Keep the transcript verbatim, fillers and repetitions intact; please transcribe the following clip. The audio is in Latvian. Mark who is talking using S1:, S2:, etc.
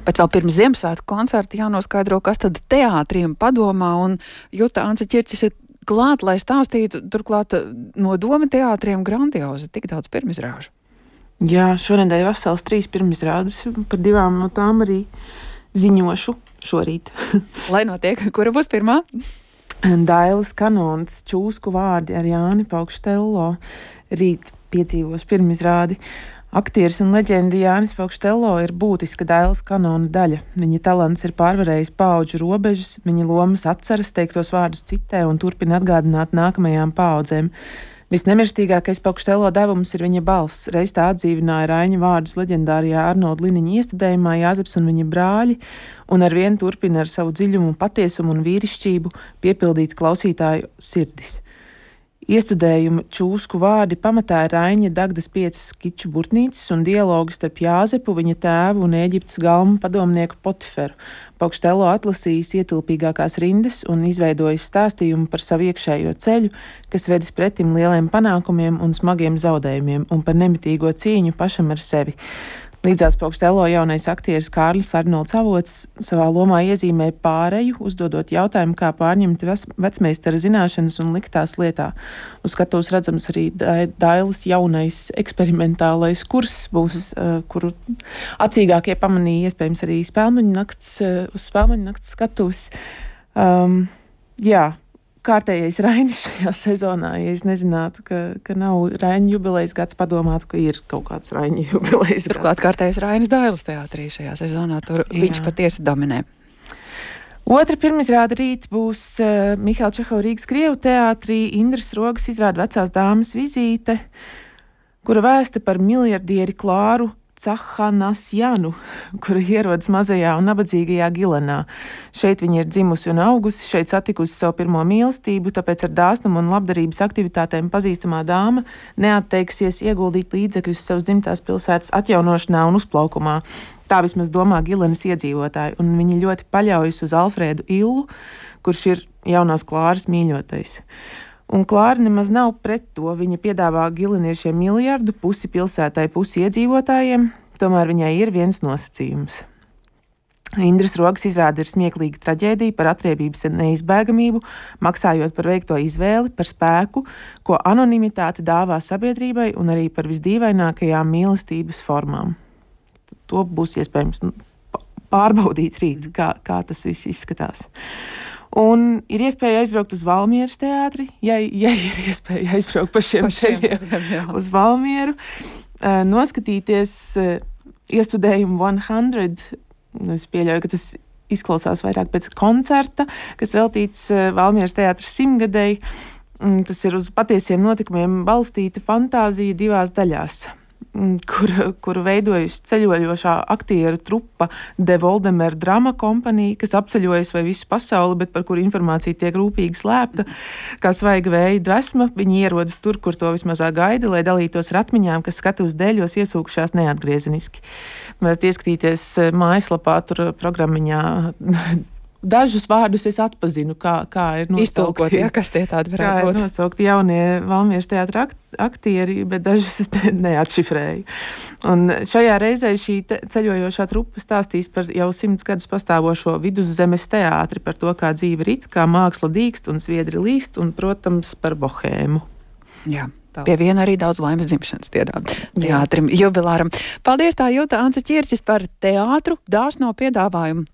S1: Bet vēl pirms Ziemassvētku koncerta jānoskaidro, kas tad teātriem padomā, un Juta Ance Ķirķis ir klāt, lai stāstītu, turklāt no Doma teātriem grandiozi, tik daudz pirmizrāžu.
S2: Jā, šonedēļ vesels trīs pirmizrādes, par divām no tām arī ziņošu šorīt.
S1: Lai notiek, kura būs pirmā?
S2: Dailes kanons, čūsku vārdi ar Jāni Paukštello. Rīt piedzīvos pirmizrādi. Aktieris un leģenda Jānis Paukštello ir būtiska Dailes kanona daļa. Viņa talants ir pārvarējis paudžu robežas, viņa lomas atceras, teiktos vārdus citē un turpina atgādināt nākamajām paaudzēm. Visnemirstīgākais Paukštello devums ir viņa balss. Reiz tā atdzīvināja Raiņa vārdus leģendārijā Arnolda Liniņa iestudējumā Jāzeps un viņa brāļi, un arvien turpina ar savu dziļumu, patiesumu un vīrišķību piepildīt klausītāju sirdis. Iestudējuma čūsku vārdi pamatā ir Raiņa Dagdas piecas skiču burtnīcas un dialogu starp Jāzepu, viņa tēvu un Ēģiptes galmu padomnieku Potiferu. Paukštello atlasījis ietilpīgākās rindas un izveidojis stāstījumu par savu iekšējo ceļu, kas vedis pretim lieliem panākumiem un smagiem zaudējumiem un par nemitīgo cīņu pašam ar sevi. Līdzās Paukštello jaunais aktieris Kārlis Arnolds Avots savā lomā iezīmē pāreju, uzdodot jautājumu, kā pārņemt vecmeistara zināšanas un likt tās lietā. Uz skatuves redzams arī Dailes jaunais eksperimentālais kurs būs, uh, kuru acīgākie pamanīja iespējams arī Spēlmaņu nakts, uh, uz Spēlmaņu nakts skatuves. Um, jā. Kārtējais Rainis šajā sezonā, ja es nezinātu, ka, ka nav Raina jubilejas gads, padomātu, ka ir kaut kāds Raina jubilejas gads.
S1: Turklāt kārtējais Rainis Dailes teātrī šajā sezonā, tur Jā. Viņš patiesi dominē.
S2: Otra pirmizrāde rīt būs uh, Mihaila Čehova Rīgas Krievu teātrī. Indras Rogas izrāda Vecās dāmas vizīte, kura vēsta par miljardieri Klāru Cahanasjanu, kura ierodas mazajā un nabadzīgajā Gilenā. Šeit viņa ir dzimusi un augusi, šeit satikusi savu pirmo mīlestību, tāpēc ar dāsnumu un labdarības aktivitātēm pazīstamā dāma neatteiksies ieguldīt līdzekļus savas dzimtās pilsētas atjaunošanā un uzplaukumā. Tā vismaz domā Gilenas iedzīvotāji, un viņi ļoti paļaujas uz Alfrēdu Illu, kurš ir jaunās Klāras mīļotais. Un Klāra nemaz nav pret to. Viņa piedāvā gileniešiem miljardu, pusi pilsētai, pusi iedzīvotājiem, tomēr viņai ir viens nosacījums. Indras Rogas izrāde ir smieklīga traģēdija par atriebības neizbēgamību, maksājot par veikto izvēli, par spēku, ko anonimitāte dāvā sabiedrībai un arī par visdīvainākajām mīlestības formām. To būs iespējams pārbaudīt rīt, kā, kā tas viss izskatās. Un ir iespēja aizbraukt uz Valmieras teātri, ja, ja ir iespēja aizbraukt pa šiem ceļiem uz Valmieru, uh, noskatīties uh, iestudējumu simt. Es pieļauju, ka tas izklausās vairāk pēc koncerta, kas veltīts uh, Valmieras teātras simtgadēji. Um, tas ir uz patiesiem notikumiem balstīta fantāzija divās daļās, Kur, kuru veidojusi ceļojošā aktieru trupa De Voldemer Drama kompanija, kas apceļojas vai visu pasauli, bet par kuru informācija tiek rūpīgi slēpta. Kā svaiga vēja dvesma, viņi ierodas tur, kur to vismazāk gaida, lai dalītos ar atmiņām, kas skatuves dēļos iesūkušās neatgriezeniski. Varat ieskatīties mājaslapā, tur programmiņā. Dažus vārdus es atpazinu, kā, kā ir nosaukti.
S1: Iztulkot, ja, kas tie tādi varētu būt.
S2: Kā ir nosaukti jaunie Valmieras teātra aktieri, bet dažus es ne, neatšifrēju. Un šajā reizē šī te, ceļojošā trupa stāstīs par jau simts gadus pastāvošo Viduszemes teātri, par to, kā dzīve rit, kā māksla dīkst un sviedri līst, un, protams, par bohēmu.
S1: Jā. Pie viena arī daudz laimes dzimšanas dienā teātrim jubilāram. Paldies tā Juta Ance Ķirķis par teātru dāsno piedāvājumu.